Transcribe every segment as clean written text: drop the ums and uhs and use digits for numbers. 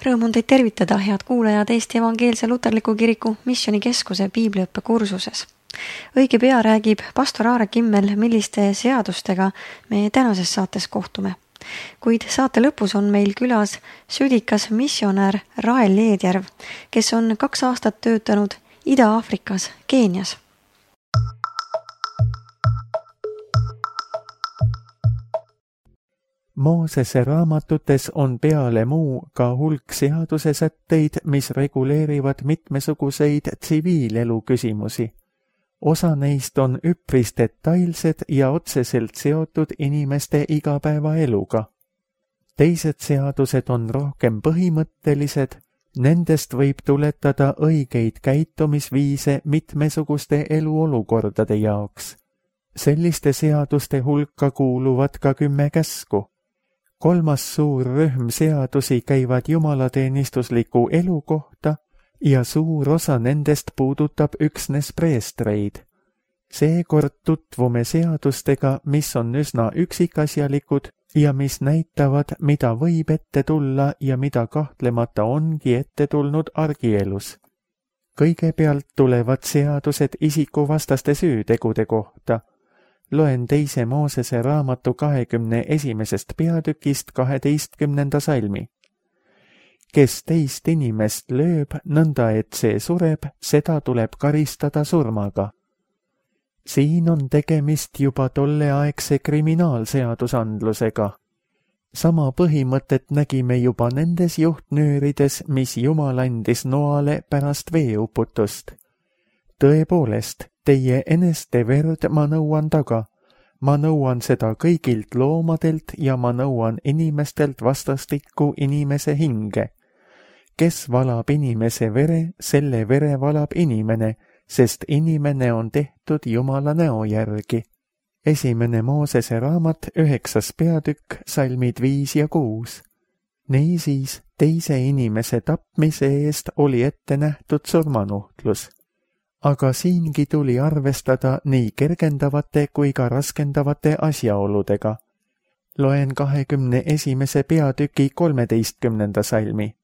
Rõõm on teid tervitada, head kuulajad, Eesti Evangeelse Luterliku Kiriku Missioonikeskuse piibliõppe kursuses. Õige pea räägib pastor Aare Kimmel, milliste seadustega me tänases saates kohtume. Kuid saate lõpus on meil külas südikas missionär Rael Leedjärv, kes on 2 aastat töötanud Ida-Aafrikas, Keenias. Moosese raamatutes on peale muu ka hulk seadusesätteid, mis reguleerivad mitmesuguseid tsiviilelu küsimusi. Osa neist on üpris detailsed ja otseselt seotud inimeste igapäevaeluga. Teised seadused on rohkem põhimõttelised, nendest võib tuletada õigeid käitumisviise mitmesuguste eluolukordade jaoks. Selliste seaduste hulka kuuluvad ka 10 käsku. 3. suur rühm seadusi käivad jumalateenistusliku elu kohta ja suur osa nendest puudutab üksnes preestreid. Seekord tutvume seadustega, mis on üsna üksikasjalikud ja mis näitavad, mida võib ette tulla ja mida kahtlemata ongi ette tulnud argielus. Kõigepealt tulevad seadused isikuvastaste süütegude kohta. Loen 2. Moosese raamatu 21. peatükist 12. salmi. Kes teist inimest lööb, nõnda et see sureb, seda tuleb karistada surmaga. Siin on tegemist juba tolleaegse kriminaalseadusandlusega. Sama põhimõtet nägime juba nendes juhtnöörides, mis Jumal andis Noale pärast veeuputust. Tõepoolest, teie eneste verd ma nõuan taga. Ma nõuan seda kõigilt loomadelt ja ma nõuan inimestelt vastastikku inimese hinge. Kes valab inimese vere, selle vere valab inimene, sest inimene on tehtud Jumala näo järgi. 1. Moosese raamat 9. peatükk, salmid 5 ja 6. Niisiis, teise inimese tapmise eest oli ette nähtud surmanuhtlus. Aga siingi tuli arvestada nii kergendavate kui ka raskendavate asjaoludega. Loen 21. peatüki 13. salmi.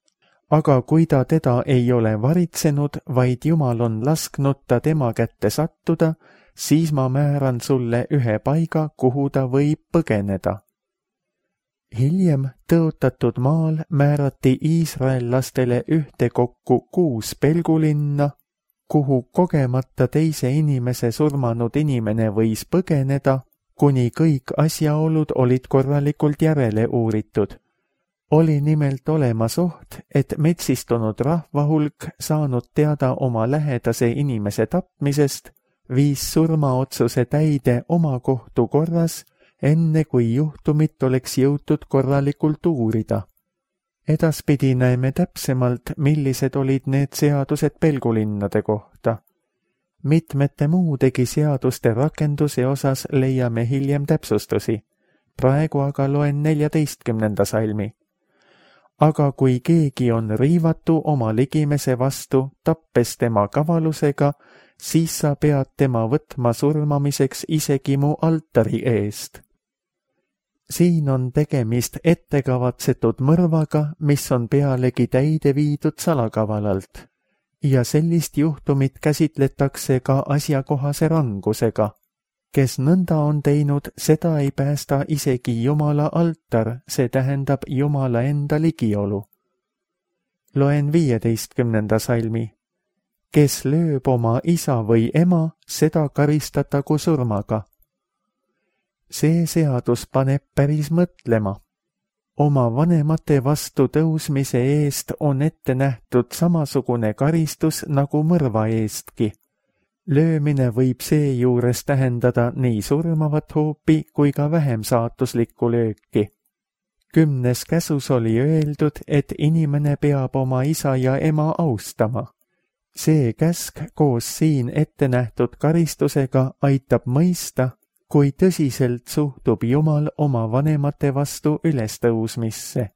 Aga kui ta teda ei ole varitsenud, vaid Jumal on lasknud ta tema kätte sattuda, siis ma määran sulle ühe paiga, kuhu ta võib põgeneda. Hiljem tõotatud maal määrati iisraellastele ühtekokku 6 pelgulinna, kuhu kogemata teise inimese surmanud inimene võis põgeneda, kuni kõik asjaolud olid korralikult järele uuritud. Oli nimelt olemas oht, et metsistunud rahvahulk saanud teada oma lähedase inimese tapmisest, viis surmaotsuse täide oma kohtu korras, enne kui juhtumit oleks jõutud korralikult uurida. Edaspidi näeme täpsemalt, millised olid need seadused pelgulinnade kohta. Mitmete muudegi seaduste rakenduse osas leiame hiljem täpsustusi. Praegu aga loen 14. salmi. Aga kui keegi on riivatu oma ligimese vastu, tappes tema kavalusega, siis sa pead tema võtma surmamiseks isegi mu altari eest. Siin on tegemist ettekavatsetud mõrvaga, mis on pealegi täide viidud salakavalalt. Ja sellist juhtumit käsitletakse ka asjakohase rangusega. Kes nõnda on teinud, seda ei päästa isegi Jumala altar, see tähendab Jumala enda ligiolu. Loen 15. salmi. Kes lööb oma isa või ema, seda karistatagu surmaga. See seadus paneb päris mõtlema. Oma vanemate vastu tõusmise eest on ette nähtud samasugune karistus nagu mõrva eestki. Löömine võib seejuures tähendada nii surmavat hoopi kui ka vähem saatuslikku lööki. 10. käsus oli öeldud, et inimene peab oma isa ja ema austama. See käsk koos siin ette nähtud karistusega aitab mõista, kui tõsiselt suhtub Jumal oma vanemate vastu ülestõusmisse.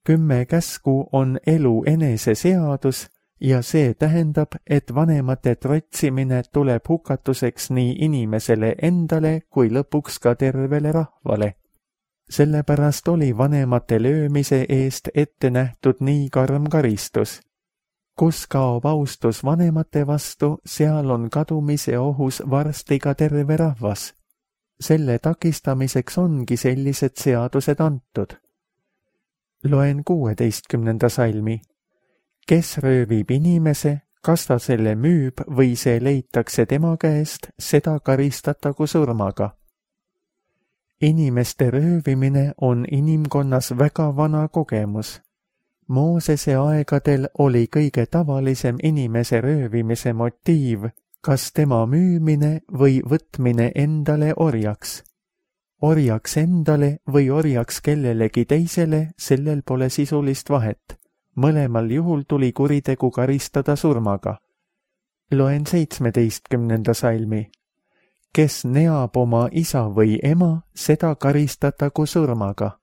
10 käsku on elu enese seadus ja see tähendab, et vanemate trotsimine tuleb hukatuseks nii inimesele endale kui lõpuks ka tervele rahvale. Sellepärast oli vanemate löömise eest ette nähtud nii karm karistus. Kus kaob austus vanemate vastu, seal on kadumise ohus varsti ka terve rahvas. Selle takistamiseks ongi sellised seadused antud. Loen 16. salmi. Kes röövib inimese, kas ta selle müüb või see leitakse tema käest, seda karistatagu surmaga. Inimeste röövimine on inimkonnas väga vana kogemus. Moosese aegadel oli kõige tavalisem inimese röövimise motiiv, kas tema müümine või võtmine endale orjaks. Orjaks endale või orjaks kellelegi teisele, sellel pole sisulist vahet. Mõlemal juhul tuli kuritegu karistada surmaga. Loen 17. salmi. Kes neab oma isa või ema, seda karistatagu surmaga.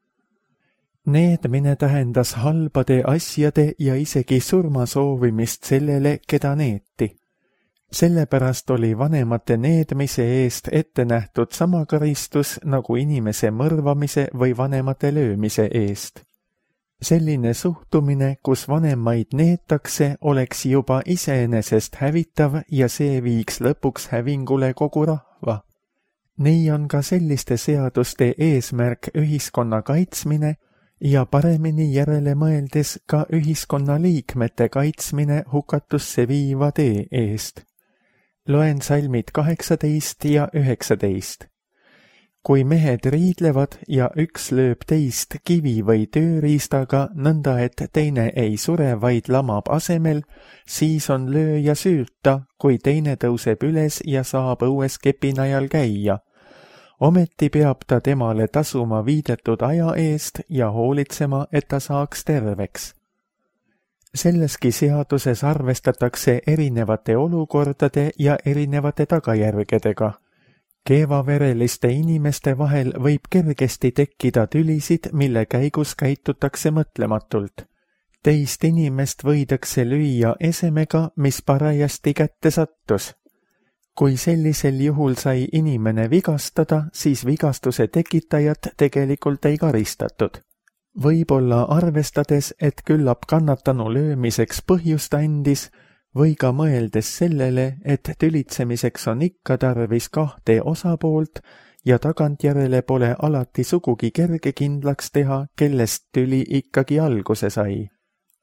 Needmine tähendas halbade asjade ja isegi surma soovimist sellele, keda neeti. Sellepärast oli vanemate needmise eest ette nähtud sama karistus nagu inimese mõrvamise või vanemate löömise eest. Selline suhtumine, kus vanemaid neetakse, oleks juba iseenesest hävitav ja see viiks lõpuks hävingule kogu rahva. Nii on ka selliste seaduste eesmärk ühiskonna kaitsmine ja paremini järele mõeldes ka ühiskonna liikmete kaitsmine hukatusse viiva tee eest. Loen salmid 18 ja 19. Kui mehed riidlevad ja üks lööb teist kivi või tööriistaga nõnda, et teine ei sure, vaid lamab asemel, siis on lööja süüta, kui teine tõuseb üles ja saab õues kepinajal käia. Ometi peab ta temale tasuma viidetud aja eest ja hoolitsema, et ta saaks terveks. Selleski seaduses arvestatakse erinevate olukordade ja erinevate tagajärgedega. Keevavereliste inimeste vahel võib kergesti tekkida tülisid, mille käigus käitutakse mõtlematult. Teist inimest võidakse lüüa esemega, mis parajasti kätte sattus. Kui sellisel juhul sai inimene vigastada, siis vigastuse tekitajat tegelikult ei karistatud. Võib-olla arvestades, et küllap kannatanu löömiseks põhjust andis, või ka mõeldes sellele, et tülitsemiseks on ikka tarvis kahte osapoolt ja tagantjärele pole alati sugugi kerge kindlaks teha, kellest tüli ikkagi alguse sai.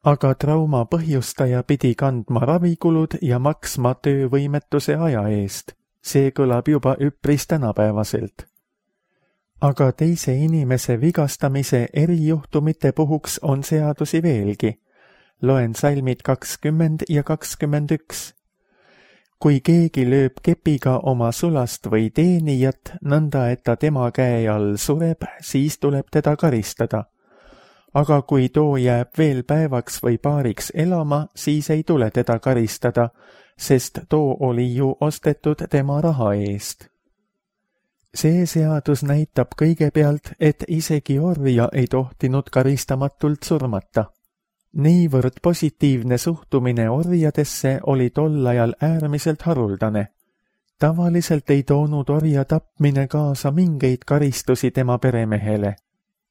Aga trauma põhjustaja pidi kandma ravikulud ja maksma töövõimetuse aja eest. See kõlab juba üpris tänapäevaselt. Aga teise inimese vigastamise erijuhtumite puhuks on seadusi veelgi. Loen salmid 20 ja 21. Kui keegi lööb kepiga oma sulast või teenijat, nõnda et ta tema käe all sureb, siis tuleb teda karistada. Aga kui too jääb veel päevaks või paariks elama, siis ei tule teda karistada, sest too oli ju ostetud tema raha eest. See seadus näitab kõigepealt, et isegi orja ei tohtinud karistamatult surmata. Niivõrd positiivne suhtumine orjadesse oli tol ajal äärmiselt haruldane. Tavaliselt ei toonud orja tapmine kaasa mingeid karistusi tema peremehele.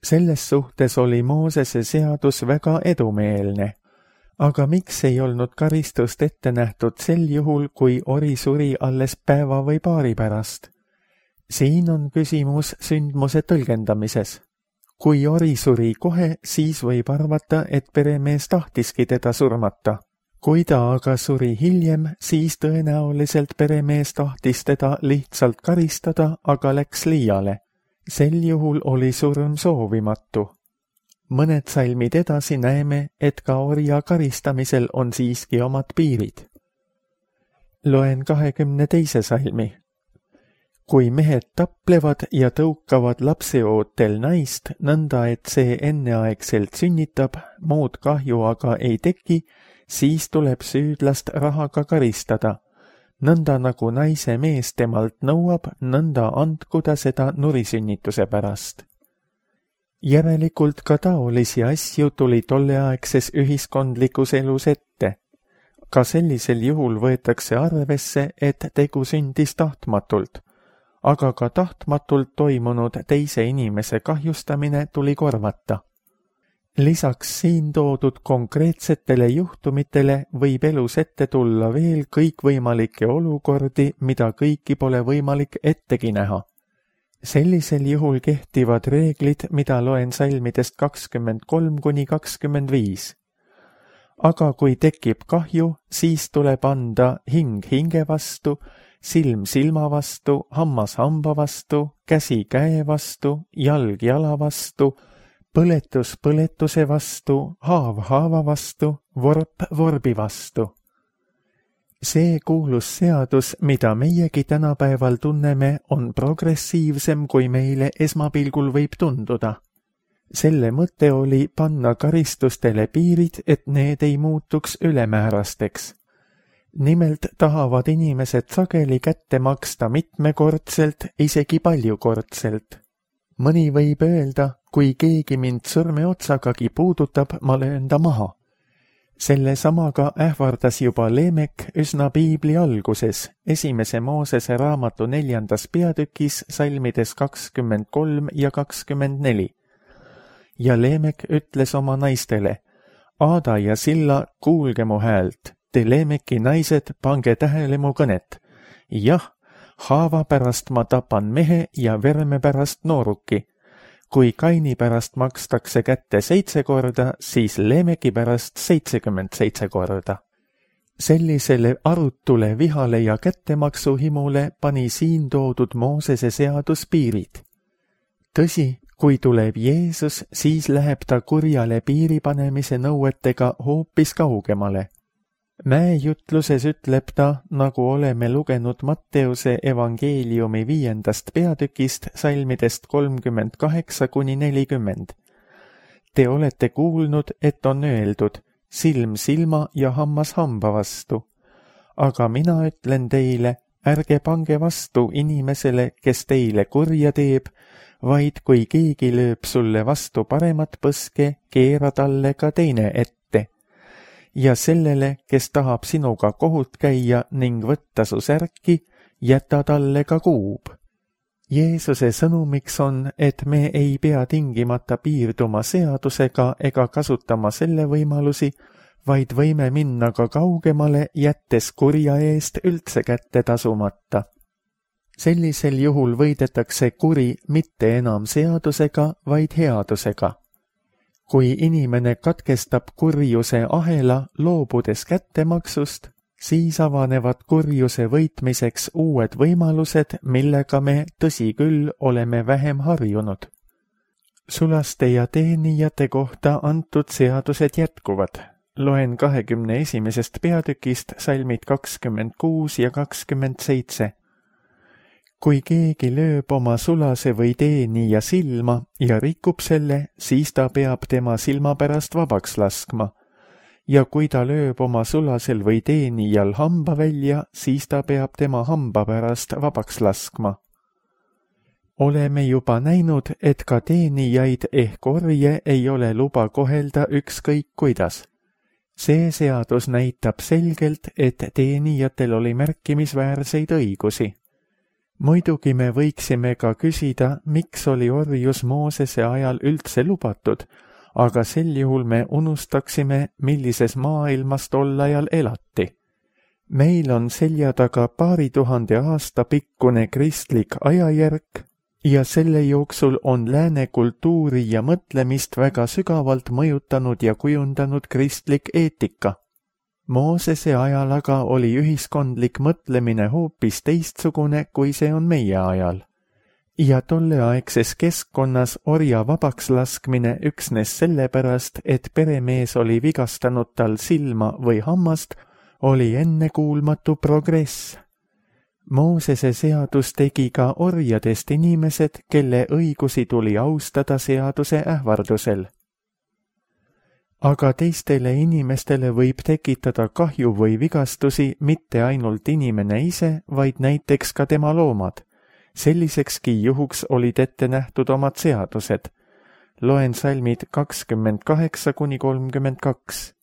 Selles suhtes oli Moosese seadus väga edumeelne. Aga miks ei olnud karistust ette nähtud sel juhul, kui ori suri alles päeva või paari pärast? Siin on küsimus sündmuse tõlgendamises. Kui ori suri kohe, siis võib arvata, et peremees tahtiski teda surmata. Kui ta aga suri hiljem, siis tõenäoliselt peremees tahtis teda lihtsalt karistada, aga läks liiale. Sel juhul oli surm soovimatu. Mõned salmid edasi näeme, et ka orja karistamisel on siiski omad piirid. Loen 22. salmi. Kui mehed taplevad ja tõukavad lapseootel naist, nõnda et see enneaegselt sünnitab, muud kahju aga ei teki, siis tuleb süüdlast rahaga karistada. Nõnda nagu naise mees temalt nõuab, nõnda andku ta seda nurisünnituse pärast. Järelikult ka taolisi asju tuli tolleaegses ühiskondlikus elus ette. Ka sellisel juhul võetakse arvesse, et tegu sündis tahtmatult. aga ka tahtmatult toimunud teise inimese kahjustamine tuli korvata. Lisaks siin toodud konkreetsetele juhtumitele võib elus ette tulla veel kõikvõimalikke olukordi, mida kõiki pole võimalik ettegi näha. Sellisel juhul kehtivad reeglid, mida loen salmidest 23–25. Aga kui tekib kahju, siis tuleb anda hing hinge vastu, silm silma vastu, hammas hamba vastu, käsi käe vastu, jalg jala vastu, põletus põletuse vastu, haav haava vastu, vorp vorbi vastu. See kuulus seadus, mida meiegi tänapäeval tunneme, on progressiivsem, kui meile esmapilgul võib tunduda. Selle mõte oli panna karistustele piirid, et need ei muutuks ülemäärasteks. Nimelt tahavad inimesed sageli kätte maksta mitmekordselt, isegi paljukordselt. Mõni võib öelda, kui keegi mind sõrmeotsagagi puudutab, ma löön ta maha. Selle samaga ähvardas juba Leemek üsna piibli alguses, 1. Moosese raamatu 4. peatükis salmides 23 ja 24. Ja Leemek ütles oma naistele, Aada ja Silla, kuulge mu häält, te Leemeki naised, pange tähele mu kõnet. Jah, haava pärast ma tapan mehe ja verme pärast nooruki. Kui Kaini pärast makstakse kätte 7 korda, siis Leemeki pärast 77 korda. Sellisele arutule vihale ja kättemaksuhimule pani siin toodud Moosese seadus piirid. Tõsi, kui tuleb Jeesus, siis läheb ta kurjale piiripanemise nõuetega hoopis kaugemale. Mäejutluses ütleb ta, nagu oleme lugenud Matteuse evangeeliumi 5. peatükist salmidest 38–40. Te olete kuulnud, et on öeldud, silm silma ja hammas hamba vastu. Aga mina ütlen teile, ärge pange vastu inimesele, kes teile kurja teeb, vaid kui keegi lööb sulle vastu paremat põske, keera talle ka teine ette. Ja sellele, kes tahab sinuga kohut käia ning võtta su särki, jäta talle ka kuub. Jeesuse sõnumiks on, et me ei pea tingimata piirduma seadusega ega kasutama selle võimalusi, vaid võime minna ka kaugemale, jättes kurja eest üldse kätte tasumata. Sellisel juhul võidetakse kuri mitte enam seadusega, vaid headusega. Kui inimene katkestab kurjuse ahela, loobudes kättemaksust, siis avanevad kurjuse võitmiseks uued võimalused, millega me, tõsi küll, oleme vähem harjunud. Sulaste ja teenijate kohta antud seadused jätkuvad. Loen 21. peatükist salmid 26 ja 27. Kui keegi lööb oma sulase või teenija silma ja rikub selle, siis ta peab tema silma pärast vabaks laskma. Ja kui ta lööb oma sulasel või teenijal hamba välja, siis ta peab tema hamba pärast vabaks laskma. Oleme juba näinud, et ka teenijaid ehk orje ei ole luba kohelda ükskõik kuidas. See seadus näitab selgelt, et teenijatel oli märkimisväärseid õigusi. Muidugi me võiksime ka küsida, miks oli orjus Moosese ajal üldse lubatud, aga sel juhul me unustaksime, millises maailmas tol ajal elati. Meil on selja taga 2000 aasta pikkune kristlik ajajärk ja selle jooksul on lääne kultuuri ja mõtlemist väga sügavalt mõjutanud ja kujundanud kristlik eetika. Moosese ajal aga oli ühiskondlik mõtlemine hoopis teistsugune, kui see on meie ajal. Ja tolleaegses keskkonnas orja vabaks laskmine üksnes sellepärast, et peremees oli vigastanud tal silma või hammast, oli ennekuulmatu progress. Moosese seadus tegi ka orjadest inimesed, kelle õigusi tuli austada seaduse ähvardusel. Aga teistele inimestele võib tekitada kahju või vigastusi mitte ainult inimene ise, vaid näiteks ka tema loomad. Sellisekski juhuks olid ette nähtud omad seadused. Loen salmid 28–32.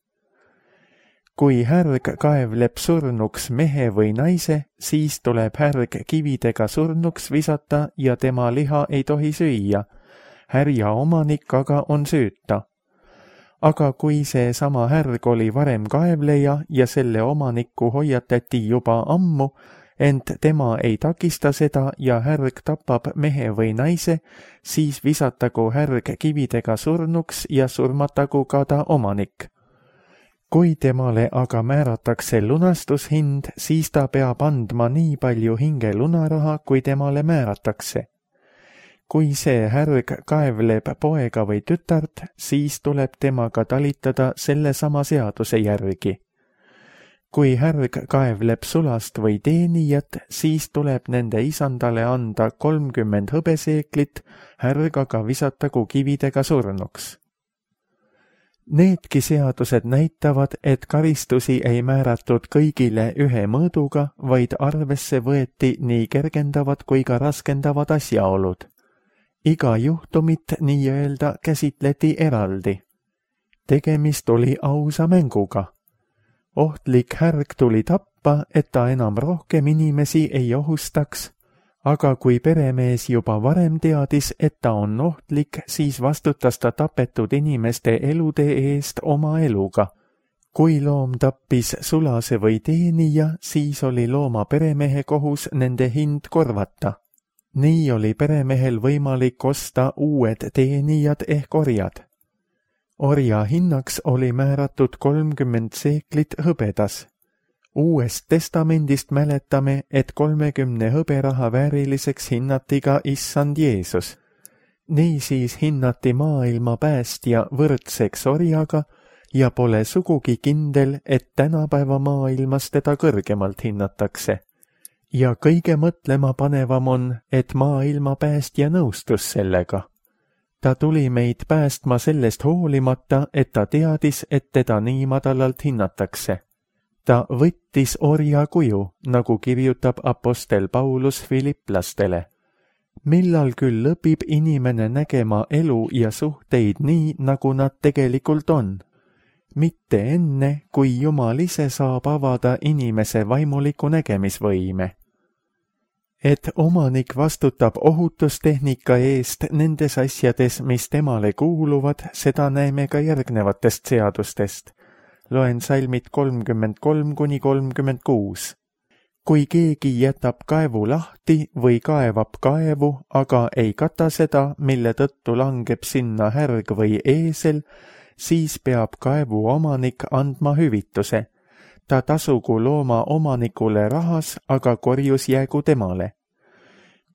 Kui härg kaevleb surnuks mehe või naise, siis tuleb härg kividega surnuks visata ja tema liha ei tohi süüa. Härja omanik aga on süüta. Aga kui see sama härg oli varem kaevleja ja selle omanikku hoiatati juba ammu, ent tema ei takista seda ja härg tapab mehe või naise, siis visatagu härg kividega surnuks ja surmatagu ka ta omanik. Kui temale aga määratakse lunastushind, siis ta peab andma nii palju hingelunaraha, kui temale määratakse. Kui see härg kaevleb poega või tütart, siis tuleb temaga talitada sellesama seaduse järgi. Kui härg kaevleb sulast või teenijat, siis tuleb nende isandale anda 30 hõbeseeklit, härg aga visatagu kividega surnuks. Needki seadused näitavad, et karistusi ei määratud kõigile ühe mõõduga, vaid arvesse võeti nii kergendavad kui ka raskendavad asjaolud. Iga juhtumit nii-öelda käsitleti eraldi. Tegemist oli ausa mänguga. Ohtlik härg tuli tappa, et ta enam rohkem inimesi ei ohustaks, aga kui peremees juba varem teadis, et ta on ohtlik, siis vastutas ta tapetud inimeste elude eest oma eluga. Kui loom tappis sulase või teenija, siis oli looma peremehe kohus nende hind korvata. Nii oli peremehel võimalik osta uued teenijad ehk orjad. Orja hinnaks oli määratud 30 seeklit hõbedas. Uuest testamendist mäletame, et 30 hõberaha vääriliseks hinnati ka issand Jeesus. Niisiis hinnati maailma päästja võrdseks orjaga ja pole sugugi kindel, et tänapäeva maailmas teda kõrgemalt hinnatakse. Ja kõige mõtlema panevam on, et maailma päästja nõustus sellega. Ta tuli meid päästma sellest hoolimata, et ta teadis, et teda nii madalalt hinnatakse. Ta võttis orja kuju, nagu kirjutab apostel Paulus Filipplastele. Millal küll lõpib inimene nägema elu ja suhteid nii, nagu nad tegelikult on? Mitte enne, kui Jumal ise saab avada inimese vaimuliku nägemisvõime. Et omanik vastutab ohutustehnika eest nendes asjades, mis temale kuuluvad, seda näeme ka järgnevatest seadustest. Loen salmid 33–36. Kui keegi jätab kaevu lahti või kaevab kaevu, aga ei kata seda, mille tõttu langeb sinna härg või eesel, siis peab kaevu omanik andma hüvituse. Ta tasugu looma omanikule rahas, aga korjus jäägu temale.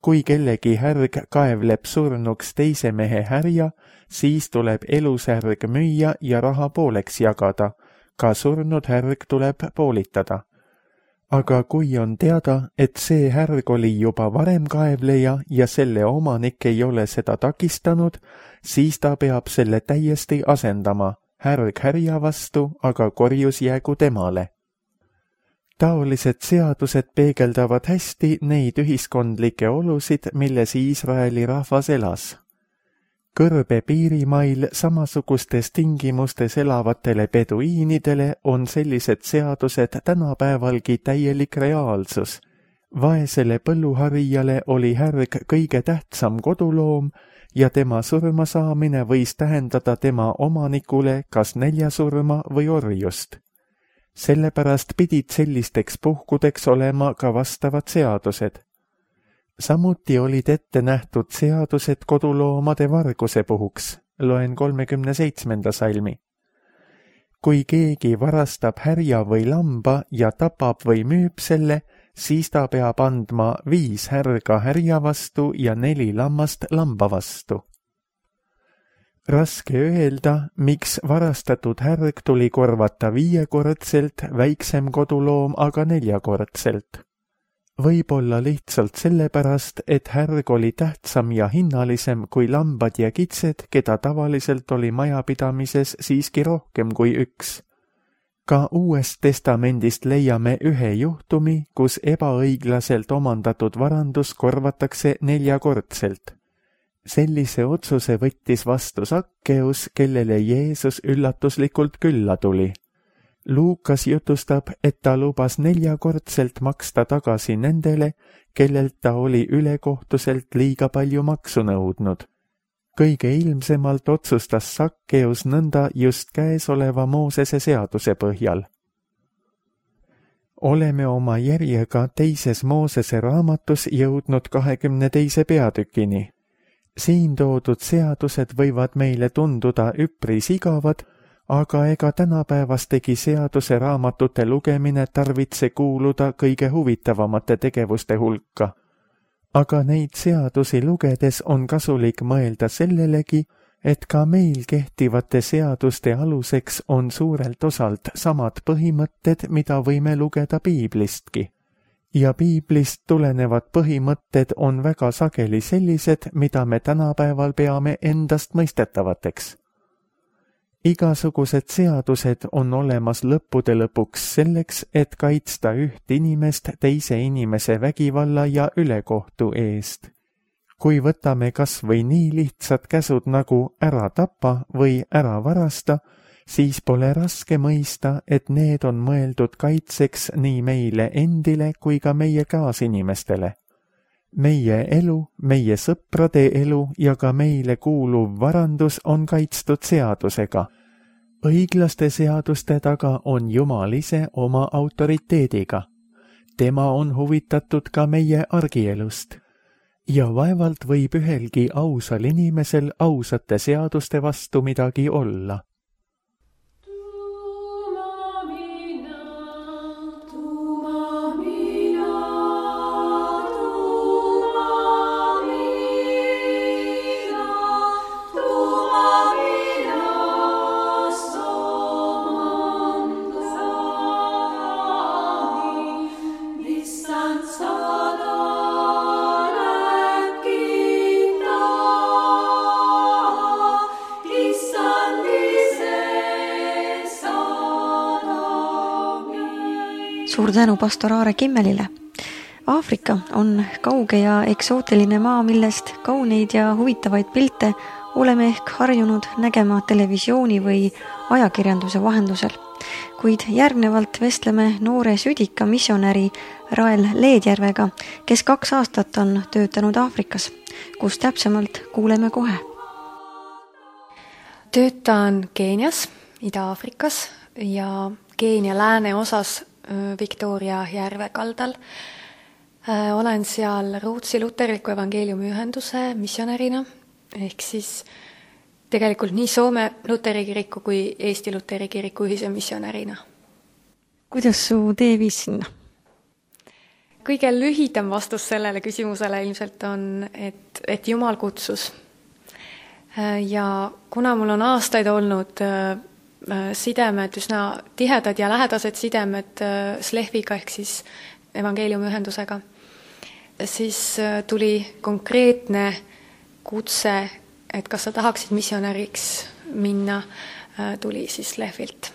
Kui kellegi härg kaevleb surnuks teise mehe härja, siis tuleb elus härg müüa ja raha pooleks jagada. Ka surnud härg tuleb poolitada. Aga kui on teada, et see härg oli juba varem kaevleja ja selle omanik ei ole seda takistanud, siis ta peab selle täiesti asendama, härg härja vastu, aga korjus jäägu temale. Taolised seadused peegeldavad hästi neid ühiskondlikke olusid, milles Iisraeli rahvas elas. Kõrbe piirimail samasugustes tingimustes elavatele peduiinidele on sellised seadused tänapäevalgi täielik reaalsus. Vaesele põlluharijale oli härg kõige tähtsam koduloom ja tema surma saamine võis tähendada tema omanikule kas näljasurma või orjust. Sellepärast pidid sellisteks puhkudeks olema ka vastavad seadused. Samuti olid ette nähtud seadused koduloomade varguse puhuks, loen 37. salmi. Kui keegi varastab härja või lamba ja tapab või müüb selle, siis ta peab andma 5 härga härja vastu ja 4 lammast lamba vastu. Raske öelda, miks varastatud härg tuli korvata 5-kordselt, väiksem koduloom aga 4-kordselt. Võib-olla lihtsalt sellepärast, et härg oli tähtsam ja hinnalisem kui lambad ja kitsed, keda tavaliselt oli majapidamises siiski rohkem kui 1. Ka Uuest Testamendist leiame ühe juhtumi, kus ebaõiglaselt omandatud varandus korvatakse 4-kordselt. Sellise otsuse võttis vastu Sakkeus, kellele Jeesus üllatuslikult külla tuli. Luukas jutustab, et ta lubas 4-kordselt maksta tagasi nendele, kellelt ta oli ülekohtuselt liiga palju maksu nõudnud. Kõige ilmsemalt otsustas Sakkeus nõnda just käesoleva Moosese seaduse põhjal. Oleme oma järjega teises Moosese raamatus jõudnud 22. peatükini. Siin toodud seadused võivad meile tunduda üpris igavad, aga ega tänapäevastegi seaduse raamatute lugemine tarvitse kuuluda kõige huvitavamate tegevuste hulka. Aga neid seadusi lugedes on kasulik mõelda sellelegi, et ka meil kehtivate seaduste aluseks on suurelt osalt samad põhimõtted, mida võime lugeda piiblistki. Ja piiblist tulenevad põhimõtted on väga sageli sellised, mida me tänapäeval peame endast mõistetavateks. Igasugused seadused on olemas lõppude lõpuks selleks, et kaitsta üht inimest teise inimese vägivalla ja ülekohtu eest. Kui võtame kas või nii lihtsad käsud nagu ära tapa või ära varasta, siis pole raske mõista, et need on mõeldud kaitseks nii meile endile kui ka meie kaasinimestele. Meie elu, meie sõprade elu ja ka meile kuuluv varandus on kaitstud seadusega. Õiglaste seaduste taga on Jumal ise oma autoriteediga. Tema on huvitatud ka meie argielust. Ja vaevalt võib ühelgi ausal inimesel ausate seaduste vastu midagi olla. Suur tänu pastor Aare Kimmelile. Aafrika on kauge ja eksootiline maa, millest kauneid ja huvitavaid pilte oleme ehk harjunud nägema televisiooni või ajakirjanduse vahendusel. Kuid järgnevalt vestleme noore südika missionäri Rael Leedjärvega, kes 2 aastat on töötanud Aafrikas, kus täpsemalt kuuleme kohe. Töötan Keenias, Ida-Aafrikas ja Keenia lääneosas Victoria järve kaldal. Olen seal Rootsi luterliku evangeeliumi ühenduse missionärina, ehk siis tegelikult nii Soome Luteri kiriku kui Eesti Luteri kiriku ühise missionärina. Kuidas su tee viis sinna? Kõige lühidam vastus sellele küsimusele ilmselt on, et Jumal kutsus. Ja kuna mul on aastaid olnud sidemed, üsna tihedad ja lähedased sidemed Slehviga ehk siis evangeeliumi ühendusega, siis tuli konkreetne kutse, et kas sa tahaksid missionäriks minna, tuli siis Slehvilt.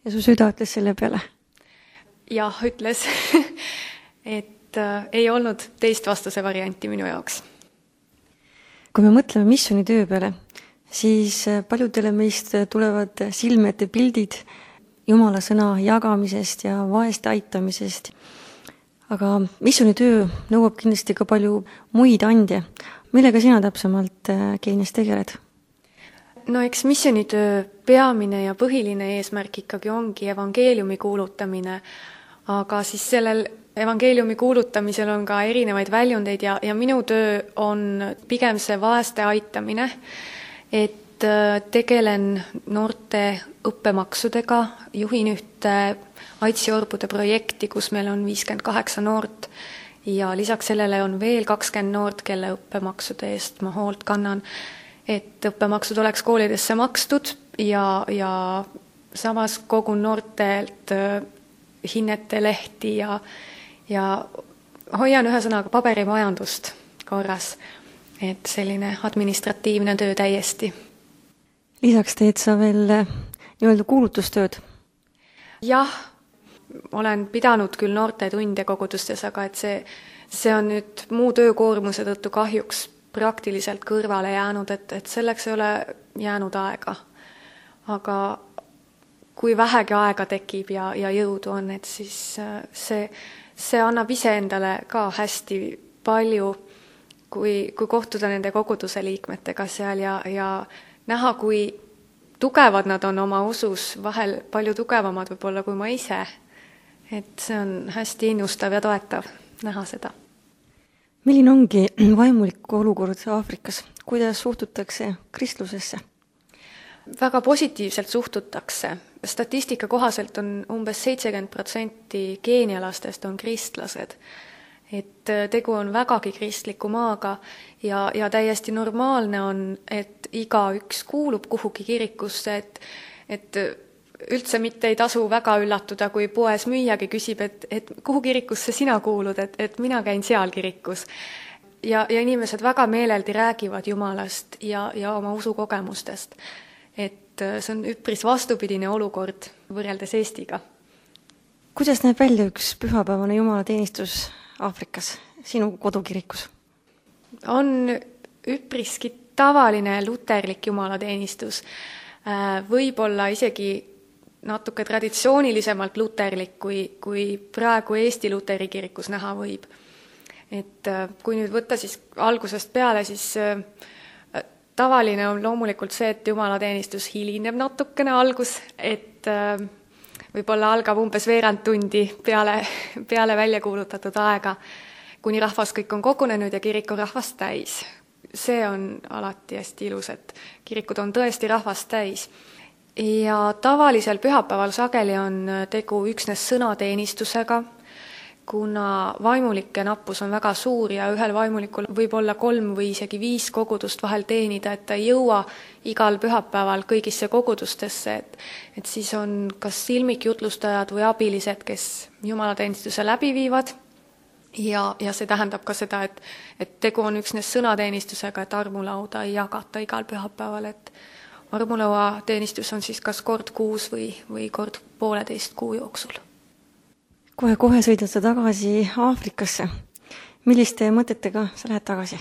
Ja su süda ütles selle peale? Jah, ütles, et ei olnud teist vastuse varianti minu jaoks. Kui me mõtleme missionitöö peale, siis paljudele meist tulevad silme ette pildid Jumala sõna jagamisest ja vaeste aitamisest. Aga missionitöö nõuab kindlasti ka palju muid andje. Millega sina täpsemalt Keenias tegeled? No eks missionitöö peamine ja põhiline eesmärk ikkagi ongi evangeeliumi kuulutamine, aga siis sellel evangeeliumi kuulutamisel on ka erinevaid väljundeid ja minu töö on pigem see vaeste aitamine, et tegelen noorte õppemaksudega, juhin ühte Aitsi-orbude projekti, kus meil on 58 noort ja lisaks sellele on veel 20 noort, kelle õppemaksude eest ma hoolt kannan, et õppemaksud oleks koolidesse makstud ja samas kogun noortelt hinnete lehti ja hoian ühesõnaga paberimajandust korras. Et selline administratiivne töö täiesti. Lisaks teed sa veel nii-öelda kuulutustööd? Jah, olen pidanud küll noorte tunde kogudustes, aga et see on nüüd muu töökoormuse tõttu kahjuks praktiliselt kõrvale jäänud, et selleks ei ole jäänud aega. Aga kui vähegi aega tekib ja jõudu on, et siis see annab iseendale ka hästi palju, kui kohtuda nende koguduse liikmetega seal ja näha, kui tugevad nad on oma usus, vahel palju tugevamad võib-olla kui ma ise. Et see on hästi innustav ja toetav näha seda. Milline ongi vaimulik olukord Aafrikas? Kuidas suhtutakse kristlusesse? Väga positiivselt suhtutakse. Statistika kohaselt on umbes 70% keenialastest on kristlased. Et tegu on vägagi kristliku maaga ja täiesti normaalne on, et igaüks kuulub kuhugi kirikusse, et üldse mitte ei tasu väga üllatuda, kui poes müüjagi küsib, et kuhu kirikusse sina kuulud, et mina käin seal kirikus. Ja inimesed väga meeleldi räägivad Jumalast ja oma usukogemustest. Et see on üpris vastupidine olukord võrreldes Eestiga. Kuidas näeb välja üks pühapäevane jumalateenistus Aafrikas, sinu kodukirikus? On üpriski tavaline luterlik jumalateenistus. Võib-olla isegi natuke traditsioonilisemalt luterlik, kui praegu Eesti luteri kirikus näha võib. Et kui nüüd võtta siis algusest peale, siis tavaline on loomulikult see, et jumalateenistus hilineb natukene algus, et võib-olla algab umbes veerand tundi peale välja kuulutatud aega, kuni rahvas kõik on kogunenud ja kirik on rahvast täis. See on alati hästi ilus, et kirikud on tõesti rahvast täis. Ja tavalisel pühapäeval sageli on tegu üksnes sõnateenistusega, kuna vaimulike nappus on väga suur ja ühel vaimulikul võib olla 3 või isegi 5 kogudust vahel teenida, et ta ei jõua igal pühapäeval kõigisse kogudustesse, et siis on kas silmikjutlustajad või abilised, kes jumalateenistuse läbi viivad ja see tähendab ka seda, et tegu on üksnes sõnateenistusega, et armulauda ei jagata igal pühapäeval, et armulaua teenistus on siis kas kord kuus või kord 1,5 kuu jooksul. Kohe sõidad sa tagasi Aafrikasse. Milliste mõtetega sa lähed tagasi?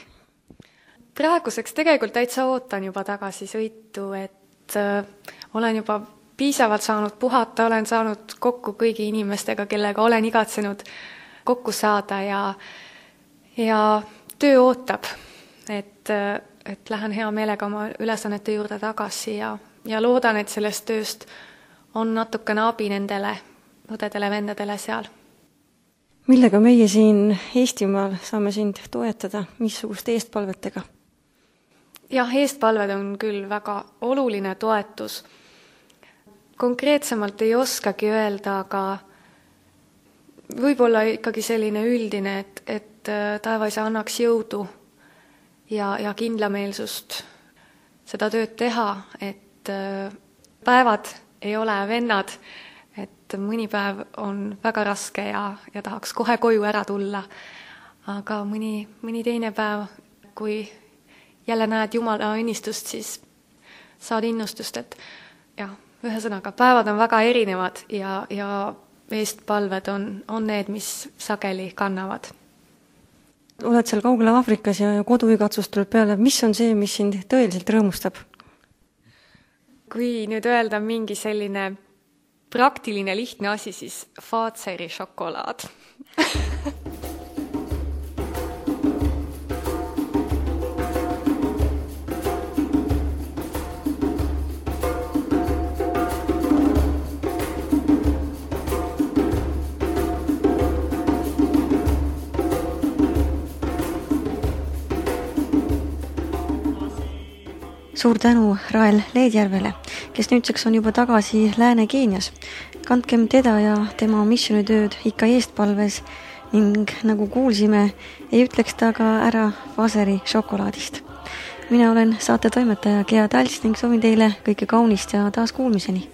Praeguseks tegelikult täitsa ootan juba tagasi sõitu, et olen juba piisavalt saanud puhata, olen saanud kokku kõigi inimestega, kellega olen igatsenud kokku saada ja töö ootab, et lähen hea meelega oma ülesannete juurde tagasi ja loodan, et sellest tööst on natukene abi nendele õdedele, vendadele seal. Millega meie siin Eestimaal saame sind toetada, missuguste eestpalvetega? Jah, eestpalved on küll väga oluline toetus. Konkreetsemalt ei oskagi öelda, aga võib-olla ikkagi selline üldine, et taevaisa annaks jõudu ja kindlameelsust seda tööd teha, et päevad ei ole vennad, et mõni päev on väga raske ja tahaks kohe koju ära tulla, aga mõni teine päev, kui jälle näed Jumala õnnistust, siis saad innustust, et jah, ühesõnaga, päevad on väga erinevad ja eestpalved on need, mis sageli kannavad. Oled seal kaugel Aafrikas ja koduigatsus tuleb peale. Mis on see, mis sind tõeliselt rõõmustab? Kui nüüd öelda mingi selline praktiline lihtne asi, siis Fazeri šokolaad. Suur tänu Rael Leedjärvele, kes nüüdseks on juba tagasi Lääne-Keenias. Kandkem teda ja tema missionitööd ikka eestpalves ning nagu kuulsime, ei ütleks ta ka ära Fazeri šokolaadist. Mina olen saate toimetaja Gea Talts ning soovin teile kõike kaunist ja taas kuulmiseni.